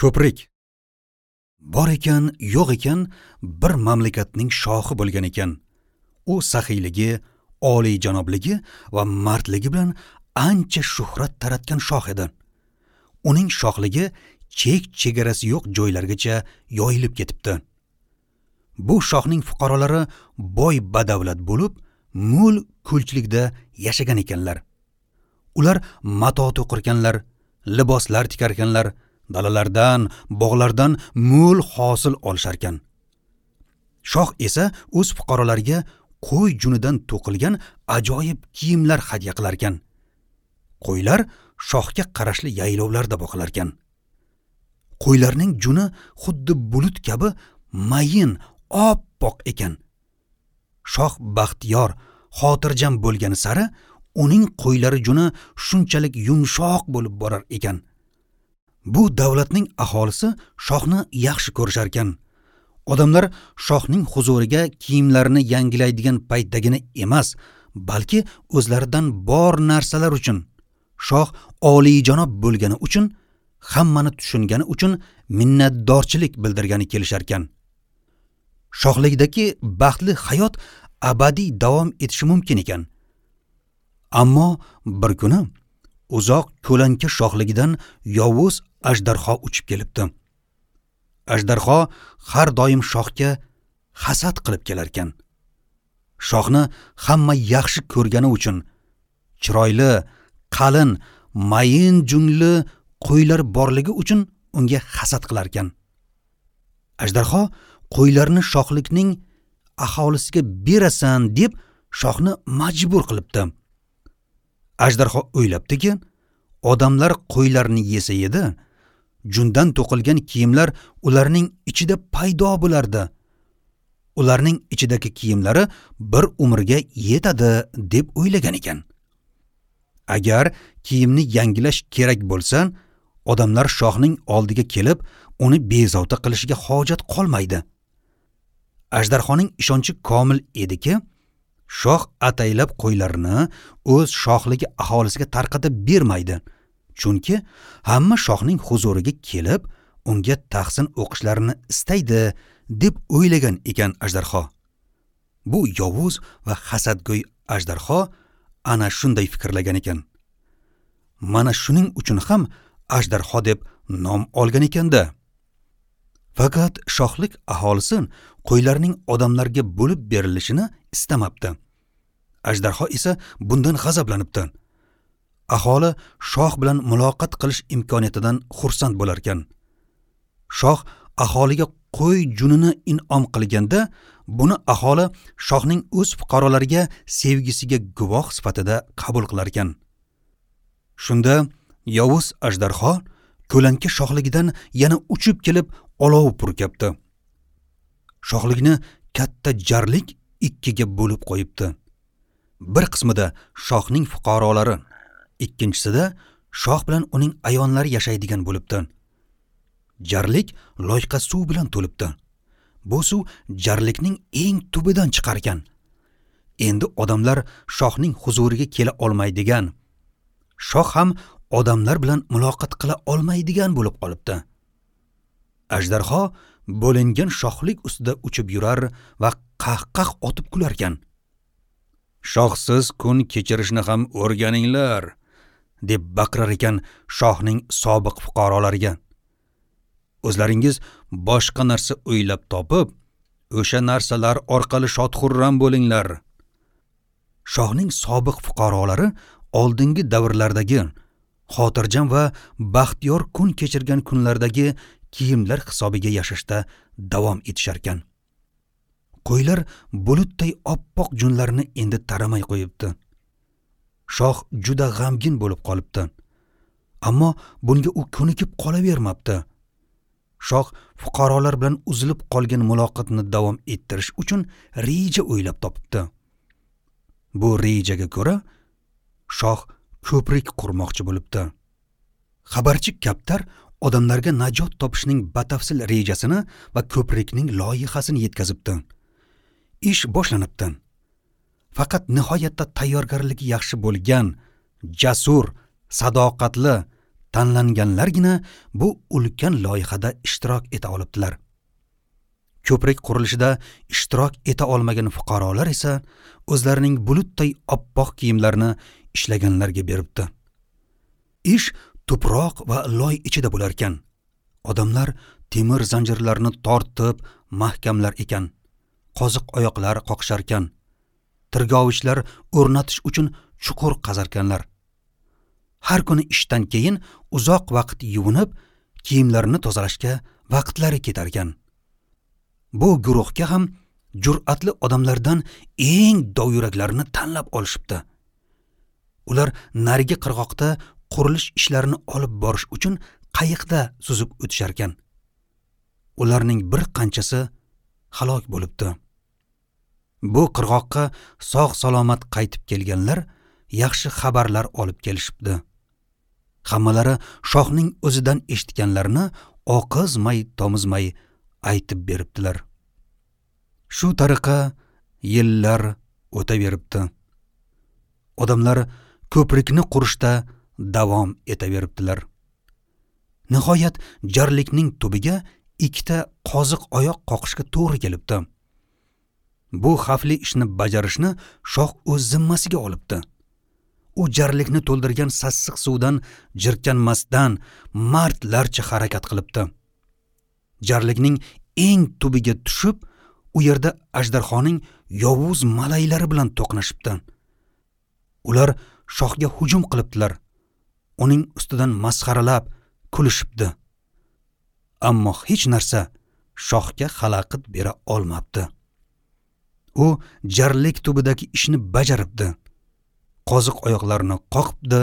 Ko'prik. Bor ekan, yo'q ekan, bir mamlakatning shohi bo'lgan ekan. U saxiyligi, oliyjanobligi va mardligi bilan ancha shuhrat taratgan shoh edi. Uning shohligi chek-chegarasi yo'q joylargacha yoyilib ketibdi. Bu shohning fuqarolari boy badavlat bo'lib, mo'l ko'lchilikda yashagan ekanlar. Ular mato to'qirkanlar, liboslar tikarkanlar, dalalardan, bog'lardan mo'l hosil olisharkan. Shoh esa o'z fuqarolariga qo'y junidan to'qilgan ajoyib kiyimlar hadya qilarkan. Qo'ylar shohga qarashli yaylovlarda boqilarkan. Qo'ylarning juni xuddi bulut kabi mayin, oppoq ekan. Shoh baxtiyor, xotirjam bo'lgani sari uning qo'ylari juni shunchalik yumshoq bo'lib borar ekan. Bu davlatning aholisi shohni yaxshi ko'risharkan. Odamlar shohning huzuriga kiyimlarini yangilaydigan paytdagina emas, balki o'zlaridan bor narsalar uchun, shoh oliyjanob bo'lgani uchun, hammani tushungani uchun minnatdorchilik bildirgani kelisharkan. Shohlikdagi baxtli hayot abadiy davom etishi mumkin ekan. Ammo bir kuni uzoq ko'lanka shohligidan yovuz ajdarho uchib kelibdi. Ajdarho har doim shohga hasad qilib kelarkan. Shohni hamma yaxshi ko'rgani uchun, chiroyli, qalin, mayin junli qo'ylar borligi uchun unga hasad qilarkan. Ajdarho qo'ylarni shohlikning aholisiga berasan deb shohni majbur qilibdi. Ajdarho o'ylabdiki, odamlar qo'ylarni yesa edi, jundan to'qilgan kiyimlar ularning ichida paydo bo'lardi. Ularning ichidagi kiyimlari bir umrga yetadi deb o'ylagan ekan. Agar kiyimni yangilash kerak bo'lsa, odamlar shohning oldiga kelib, uni bezovta qilishiga hojat qolmaydi. Ajdarhoning ishonchi komil ediki, shoh ataylab qo'ylarini o'z shohligi aholisiga tarqatib bermaydi. Chunki hamma shohning huzuriga kelib, unga tahsin o'qishlarini istaydi deb o'ylagan ekan ajdarho. Bu yovuz va hasadgo'y ajdarho ana shunday fikrlagan ekan. Mana shuning uchun ham ajdarho deb nom olgan ekanda. Faqat shohlik aholisi qo'ylarning odamlarga bo'lib berilishini istamabdi. Ajdarho esa bundan g'azablanibdi. Aholi shoh bilan muloqot qilish imkoniyatidan xursand bo'larkan. Shoh aholiga qo'y junini in'om qilganda, buni aholi shohning o'z fuqarolariga sevgisiga guvoh sifatida qabul qilarkan. Shunda yovuz ajdarho ko'lanka shohligidan yana uchib kelib olov purkabdi. Shohlikni katta jarlik ikkiga bo'lib qo'yibdi. Bir qismida shohning fuqarolari, ikkinchisida shoh bilan uning ayonlari yashaydigan bo'libdi. Jarlik loyqa suv bilan to'libdi. Bu suv jarlikning eng tubidan chiqar ekan. Endi odamlar shohning huzuriga kela olmaydigan, shoh ham odamlar bilan muloqot qila olmaydigan bo'lib qolibdi. Ajdarho bo'lingan shohlik ustida uchib yurar va qah-qah otib kularkan. Shohsiz kun kechirishni ham o'rganinglar, deb baqirar ekan shohning sobiq fuqarolariga. O'zlaringiz boshqa narsa o'ylab topib, o'sha narsalar orqali shod-xurram bo'linglar. Shohning sobiq fuqarolari oldingi davrlardagi xotirjam va baxtiyor kun kechirgan kunlardagi kiyimlar hisobiga yashashda davom etisharkan. Qo'ylar bulutday oppoq junlarini endi taramay qo'yibdi. Shoh juda g'amgin bo'lib qolibdi. Ammo bunga u ko'nikib qolavermabdi. Shoh fuqarolar bilan uzilib qolgan muloqotni davom ettirish uchun reja o'ylab topibdi. Bu rejaga ko'ra shoh ko'prik qurmoqchi bo'libdi. Xabarchi kaptar odamlarga najot topishning batafsil rejasini va ko'prikning loyihasini yetkazibdi. Ish boshlanibdi. Faqat nihoyatda tayyorgarligi yaxshi bo'lgan, jasur, sadoqatli, Tanlanganlargina bu ulkan loyihada ishtirok eta olibdilar. Ko'prik qurilishida ishtirok eta olmagan fuqarolar esa o'zlarining bulutday oppoq kiyimlarini ishlaganlarga beribdi. Ish tuproq va loy ichida bo'lar ekan. Odamlar temir zanjirlarni tortib mahkamlar ekan. Qoziq oyoqlar qoqisharkan. Tirgovichlar o'rnatish uchun chuqur qazarkanlar. Har kuni ishdan keyin uzoq vaqt yuvinib, kiyimlarini tozalashga vaqtlari ketarkan. Bu guruhga ham jur'atli odamlardan eng dovyuraklarini tanlab olishibdi. Ular narigi qirg'oqda qurilish ishlarini olib borish uchun qayiqda suzib o'tisharkan. Ularning bir qanchasi halok bo'libdi. Bu qirg'oqqa sog' salomat qaytib kelganlar yaxshi xabarlar olib kelishibdi. Hammalari shohning o'zidan eshitganlarini oqizmay tomizmay aytib beribdilar. Shu tariqa yillar o'taveribdi. Odamlar ko'prikni qurishda davom etaveribdilar. Nihoyat jarlikning tubiga ikkita qoziq oyoq qoqishga to'g'ri kelibdi. Bu xavfli ishni bajarishni shoh o'z zimmasiga olibdi. U jarlikni to'ldirgan sassiq suvdan jirkanmasdan mardlarcha harakat qilibdi. Jarlikning eng tubiga tushib, u yerda ajdarhoning yovuz malaylari bilan to'qnashibdi. Ular shohga hujum qilibdilar. Uning ustidan masxaralab kulishibdi. Ammo hech narsa shohga xalaqit bera olmabdi. U jarlik tubidagi ishni bajaribdi. Qoziq oyoqlarini qoqibdi.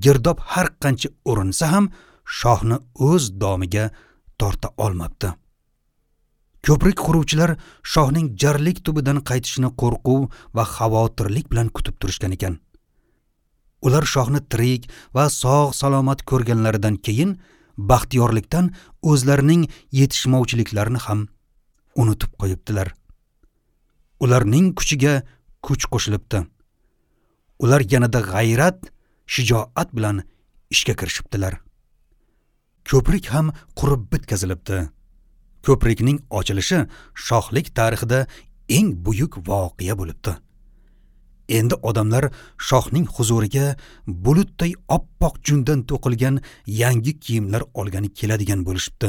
Girdob har qancha urinsa ham shohni o'z domiga torta olmabdi. Ko'prik quruvchilar shohning jarlik tubidan qaytishini qo'rquv va xavotirlik bilan kutib turishgan ekan. Ular shohni tirik va sog' salomat ko'rganlaridan keyin baxtiyorlikdan o'zlarining yetishmovchiliklarini ham unutib qo'yibdilar. Ularning kuchiga kuch qo'shilibdi. Ular yanada g'ayrat, shijoat bilan ishga kirishibdilar. Ko'prik ham qurib bitkazilibdi. Ko'prikning ochilishi shohlik tarixida eng buyuk voqea bo'libdi. Endi odamlar shohning huzuriga bulutday oppoq jundan to'qilgan yangi kiyimlar olgani keladigan bo'lishibdi.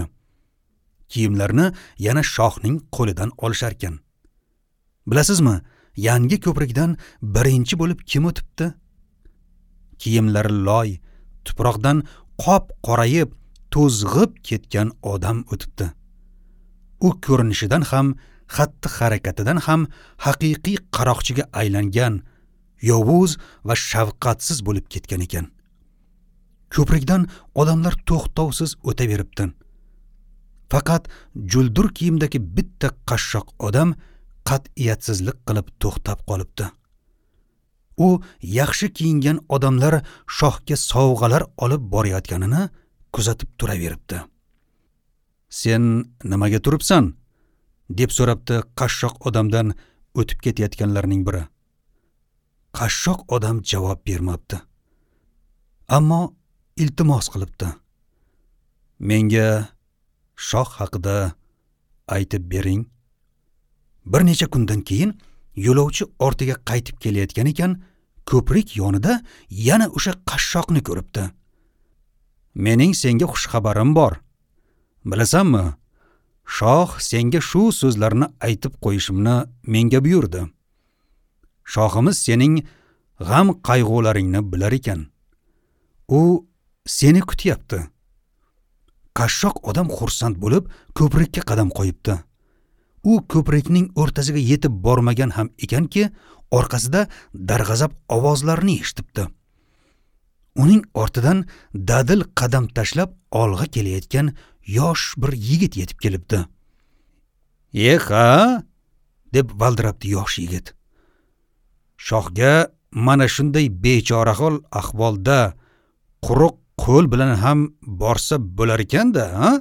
Kiyimlarni yana shohning qo'lidan olisharkan. Bilasizmi, yangi ko'prikdan birinchi bo'lib kim o'tibdi? Kiyimlari loy, tuproqdan qop qorayib, to'zg'ib ketgan odam o'tibdi. U ko'rinishidan ham, xatti harakatidan ham haqiqiy qaroqchiga aylangan, yovuz va shafqatsiz bo'lib ketgan ekan. Ko'prikdan odamlar to'xtovsiz o'taveribdi. Faqat juldur kiyimdagi bitta qashshoq odam qat'iyatsizlik qilib to'xtab qolibdi. U yaxshi kiyingan odamlar shohga sovg'alar olib borayotganini kuzatib turaveribdi. Sen nimaga turibsan? Deb so'rabdi qashshoq odamdan o'tib ketayotganlarning biri. Qashshoq odam javob bermabdi. Ammo iltimos qilibdi. Menga shoh haqida aytib bering. Bir necha kundan keyin yo'lovchi ortiga qaytib kelayotgan ekan, ko'prik yonida yana o'sha qashshoqni ko'ribdi. Mening senga xush xabarim bor. Bilasanmi? Shoh senga shu so'zlarni aytib qo'yishimni menga buyurdi. Shohimiz sening g'am qayg'ularingni bilar ekan. U seni kutyapti. Qashshoq odam xursand bo'lib ko'prikka qadam qo'yibdi. U ko'prikning o'rtasiga yetib bormagan ham ekanki, orqasida darg'azab ovozlarni eshitibdi. Uning ortidan dadil qadam tashlab olg'a kelayotgan yosh bir yigit yetib kelibdi. "Eha!" deb valdirabdi yosh yigit. Shohga mana shunday bechorahol ahvolda quruq qo'l bilan ham borsa bo'lar ekan-da, ha?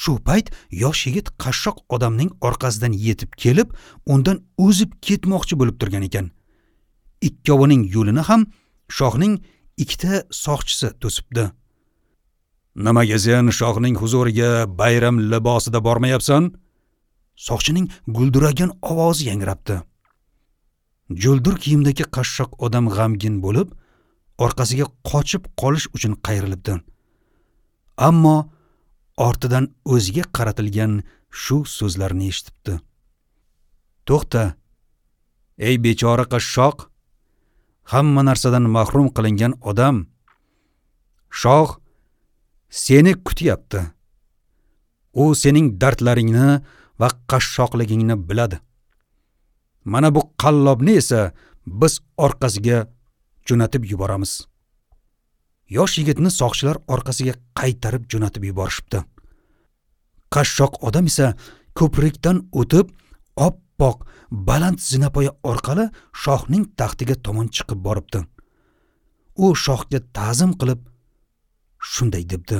Shu payt yosh yigit qashshoq odamning orqasidan yetib kelib, undan o'zib ketmoqchi bo'lib turgan ekan. Ikkovining yo'lini ham shohning ikkita soqchisi to'sibdi. Nimaga sen shohning huzuriga bayram libosida bormayapsan? Soqchining gulduragan ovozi yangrabdi. Juldur kiyimdagi qashshoq odam g'amgin bo'lib, orqasiga qochib qolish uchun qayrilibdi. Ammo ortidan o'ziga qaratilgan shu so'zlarni eshitibdi. To'xta, ey bechora qashshoq, hamma narsadan mahrum qilingan odam, shoh seni kutyapti. U sening dardlaringni va qashshoqligingni biladi. Mana bu qallobni esa biz orqasiga jo'natib yuboramiz. Yosh yigitni soqchilar orqasiga qaytarib jo'natib yuborishibdi. Qashshoq odam esa ko'prikdan o'tib, oppoq baland zinapoya orqali shohning taxtiga tomon chiqib boribdi. U shohga ta'zim qilib shunday debdi: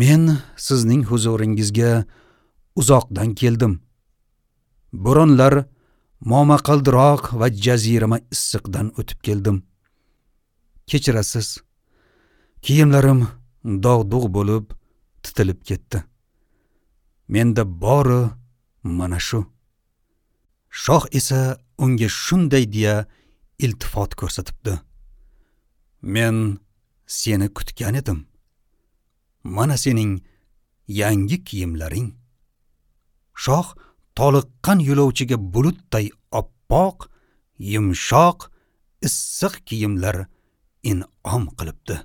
Men sizning huzuringizga uzoqdan keldim. Bo'ronlar, momaqaldiroq va jazirama issiqdan o'tib keldim. Kechirasiz, kiyimlarim dog'-dug' bo'lib titilib ketdi. Menda bori mana shu. Shoh esa unga shunday deya iltifot ko'rsatibdi: Men seni kutgan edim. Mana sening yangi kiyimlaring. Shoh toliqqan yo'lovchiga bulutday oppoq, yumshoq, issiq kiyimlar in'om qilibdi.